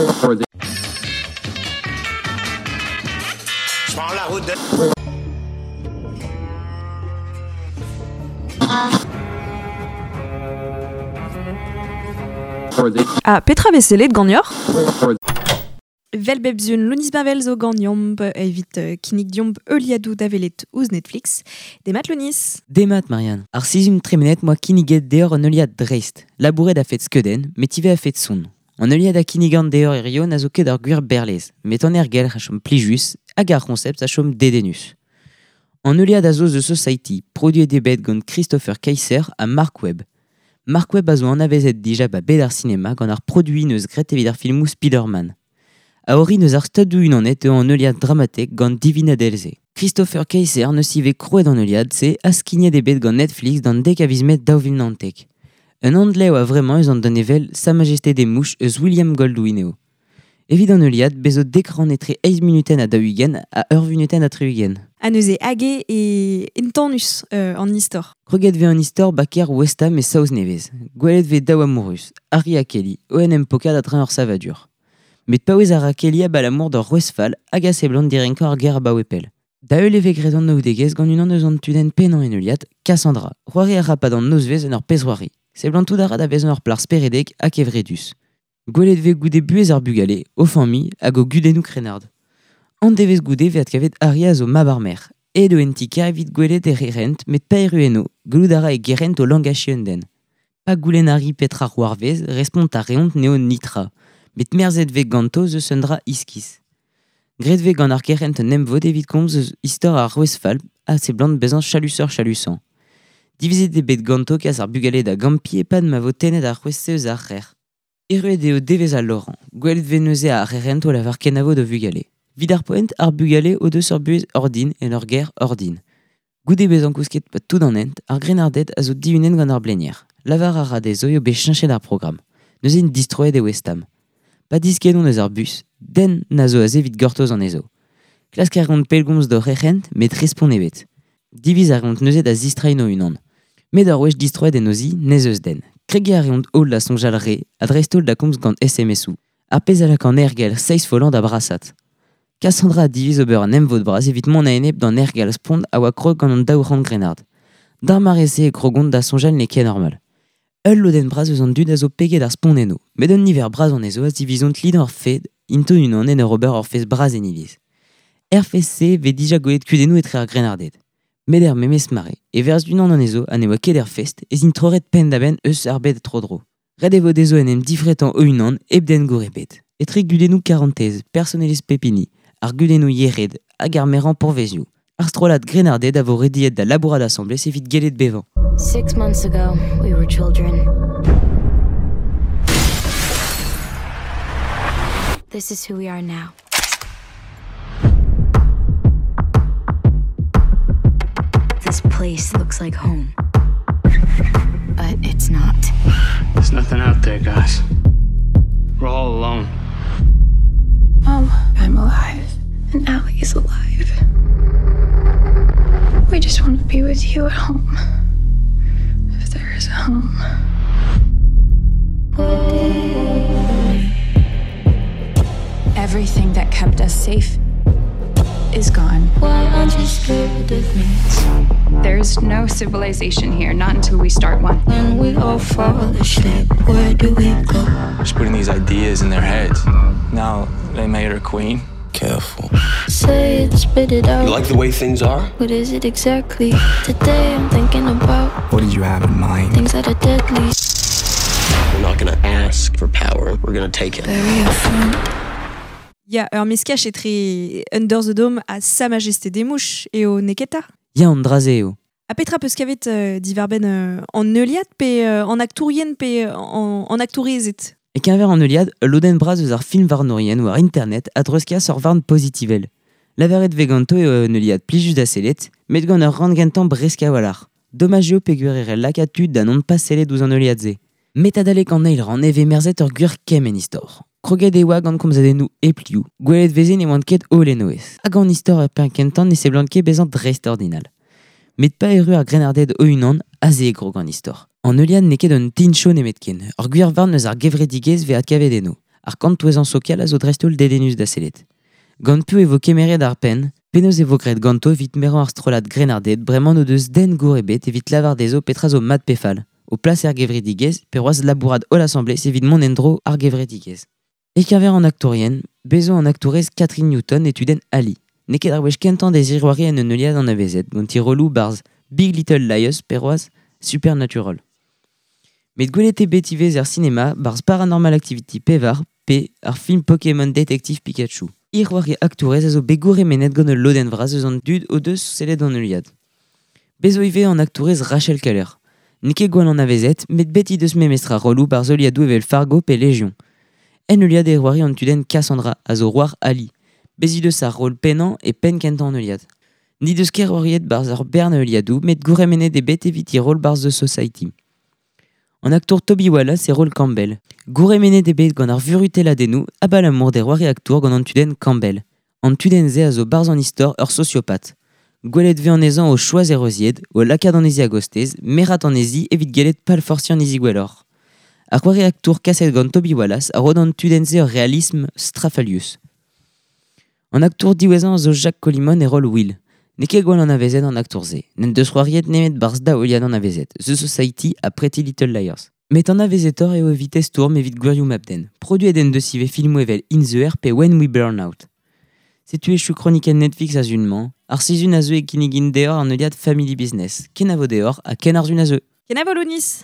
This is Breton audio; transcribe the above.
Je prends la route de... Ha petra vez sellet ganeoc'h? Vel bep zun Lounis Bavel zo ganeomp evit kinnig diomp heuliadoù da welet ouzh Netflix. Demat Lounis. Demat Marianne. Ar sizhun tremenet moa kinniget deoc'h un heuliad dreist. Labouret a fet skeudenn, met ivez a fet son. An heuliad a kinnigan deoc'h hirio na zo ket ar gwir berlez, met an ergelc'h a chom plijus hag ar c'honsept a chom dedennus. An heuliad a zo The Society, produet eo bet gant Christopher Kaiser ha Mark Webb. Mark Webb a zo anavezet dija ba bed ar sinema gant ar produiñ neus graet evit ar filmoù Spider-Man. A orin eus ar Stadoù-Unanet eo an heuliad dramatek gant Divina Delze. Christopher Kaiser neus ivez krouet an heuliad-se ha skignet eo bet gant Netflix d'an dek a viz Mae 2019. Un andlev a vremañ eus an danevell Sa Majesté des Mouches eus William Goldwyn eo. Evit an heuliad, bez zo dek rann etre eizh munutenn ha daou-ugent ha ur vunutenn ha tri-ugent. Ha neuze hag eo e entanus an istor. Kroget vez an istor ba kêr West Ham e Saoz-Nevez. Gwelet vez daou amourus, Harry ha Kelly, o en em pokat a-dreñv ur savadur. Met paouez a ra Kelly abalamour d'ur rouez fall hag a seblant direnkañ ar gêr abaoe pell. Da heul e vez graet an naoudegezh gant unan eus an tudenn pennañ en heuliad, Cassandra. C'hoari a ra 'pad an nozvezh en ur pezh-c'hoari. Seblantout a ra da vezañ ur plac'h speredek ha kevredus. Gwelet vez goude buhez ar bugale, o familh hag o gudennoù krennard. An devezh goude vez adkavet Harry a zo mab ar maer. Aet eo en ti-kêr evit gwelet e gerent met pa erru eno, gallout a ra e gerent o langachiñ un den. Pa goulenn Harry petra c'hoarvez, respont a reont n'eo netra. Met merzet vez ganto 'z eus un dra iskis. Graet vez gant ar gerent un emvod evit komz eus istor ar rouez fall a seblant bezañ chalusoc'h-chalusañ. Divizet eo bet ganto kas ar bugale da gampiñ e-pad ma vo tennet ar c'hwezh-se eus ar c'hrec'h. Erruet eo devezh al Laurent. Gwelet vez neuze ar c'herent o lavar kenavo d'o vugale. Evit ar poent, ar bugale o deus ur buhez ordin en ur gêr ordin. Goude bezañ kousket 'pad tout an hent, ar grennarded a zo dihunet gant ar blenier. Lavar a ra dezho eo bet cheñchet ar programm. Neuze int distroet e West Ham. Pa diskennont eus ar bus, den na zo aze evit gortoz anezho. Klask a reont pellgomz d'o c'herc'hent, met respont ebet. Diviz a reont neuze da zistreiñ o-unan. Met ur wech distroet en o zi, n'ez eus den. Kregiñ a reont holl da soñjal re, ha dreist-holl da komz gant SMS-où. Ar pezh a lak an aergelc'h seizh follañ da brasat. Cassandra a diviz ober un emvod bras evit mont a-enep d'an aergelc'h spont a oa krog gant an daou c'hant grennard. D'ar mare-se e krogont da soñjal n'eo ket normal. Ul lodenn bras eus an dud a zo peget ar spont enno, met un niver bras anezho a zivizont lidañ ar fed int o-unan en ur ober ur fest bras en iliz. Er fest-se e vez dija gwelet kudennoù etre ar grennarded. Met er memes mare, e verzh unan anezho ha ne oa ket er fest, ez int troret penn-da-benn eus ar bed tro-dro. Ret e vo dezho en em difretañ o-unan hep den gour ebet. Etre gudennoù karantez, personelezh pep hini, ar gudennoù yec'hed hag ar merañ pourvezioù. Ar strollad grennarded a vo rediet da labourat asambles evit gellet bevañ. Six months ago, we were children. This is who we are now. This place looks like home. But it's not. There's nothing out there, guys. We're all alone. Mom, I'm alive. And Allie's alive. We just want to be with you at home. If there is a home. Everything that kept us safe is gone. Why aren't you scared of me? There's no civilization here, not until we start one. When we all fall asleep, where do we go? Just putting these ideas in their heads. Now they made her queen. Careful. Say it, spit it out. You like the way things are? What is it exactly? Today I'm thinking about What did you have in mind? Things that are deadly. We're not going to ask for power, we're going to take it. Bury a friend. Ya, ur meskaj etre Under the Dome ha Sa Majesté des Mouches eo neketa. Ya, an dra-se eo. Ha petra peus kavet diwar-benn an heuliad pe an aktourien pe an aktourezed? E-keñver an heuliad, ul lodenn bras eus ar film varnourien war internet a dreuzkas ur varn pozitivel. Lavaret vez ganto eo un heuliad plijus da sellet, met gant ur rann gentañ bresk a-walc'h. Domaj eo peogwir e c'hell lakaat tud da non pas sellet ouzh an heuliad-se. Met adalek an eil rann e vez merzet ur gwir kemm en istor. Kroget e oa gant komzadennoù hep liv, gwelet veze ne oant ket holl en o aes. Hag an istor er penn kentañ ne seblant ket bezañ dreistordinal. Met pa erru ar grennarded o-unan, aze e krog an istor. An heuliad n'eo ket un tincho nemetken, ur gwir varn eus ar gevredigezh vez adkavet eno. Ar kantouezan sokial a zo dreist-holl dedennus da sellet. Gant piv e vo kemeret ar penn, penaos e vo graet ganto evit merañ ar strollad grennarded bremañ n'o deus den gour ebet evit lavar dezho petra zo mat pe fall. O plas er gevredigezh, pe c'hoazh labourat holl asambles evit mont en-dro ar gevredigezh. E-keñver an aktourien, bezo an aktourez Kathryn Newton e tudenn Ali. N'eo ket ar wech kentañ dezhi c'hoari en un heuliad anavezet, gant he rolloù barzh Big Little Lies pe c'hoazh Supernatural. Met gwelet eo bet ivez er sinema barzh Paranormal Activity pevar pe ar film Pokémon Detective Pikachu. He c'hoari aktourez a zo bet gourc'hemennet gant ul lodenn vras eus an dud o deus sellet an heuliad. Bez zo ivez an aktourez Rachel Keller. N'eo ket gwall anavezet, met bet he deus memestra rolloù barzh heuliadoù evel Fargo pe Legion. En heuliad e c'hoari an tudenn Cassandra, a zo c'hoar Ali. Bez he deus ar roll pennañ e penn kentañ an heuliad. N'he deus ket c'hoariet barzh ur bern heuliadoù, met gourc'hemennet eo bet evit he roll barzh The Society. An aktour Toby Wallace e roll Campbell. Gourc'hemennet eo bet gant ar vurutelladennoù abalamour d'e c'hoari aktour gant an tudenn Campbell. An tudenn-se a zo barzh an istor ur sosiopat. Gwelet 'vez anezhañ o choaz e reuzied, o lakaat anezhi a-gostez, merat anezhi evit gellet palforsiñ anezhi gwelloc'h. Ar c'hoari aktour kaset gant Toby Wallace a ro d'an tudenn-se ur realism strafalius. An aktour diwezhañ a zo Jacques Colimon e roll Will. N'eo ket gwall anavezet an aktour-se. N'en deus c'hoariet nemet barzh daou heuliad anavezet, The Society ha Pretty Little Liars. Met anavezetoc'h eo evit e stourm evit gwirioù mab-den. Produet en deus ivez filmoù evel In the Air pe When We Burn Out. Setu echu kronikenn Netflix a-zun-mañ. Ar sizhun a zeu e kinnigin deoc'h an heuliad Family Business. Kenavo deoc'h ha ken ar zun a zeu. Kenavo Lounis.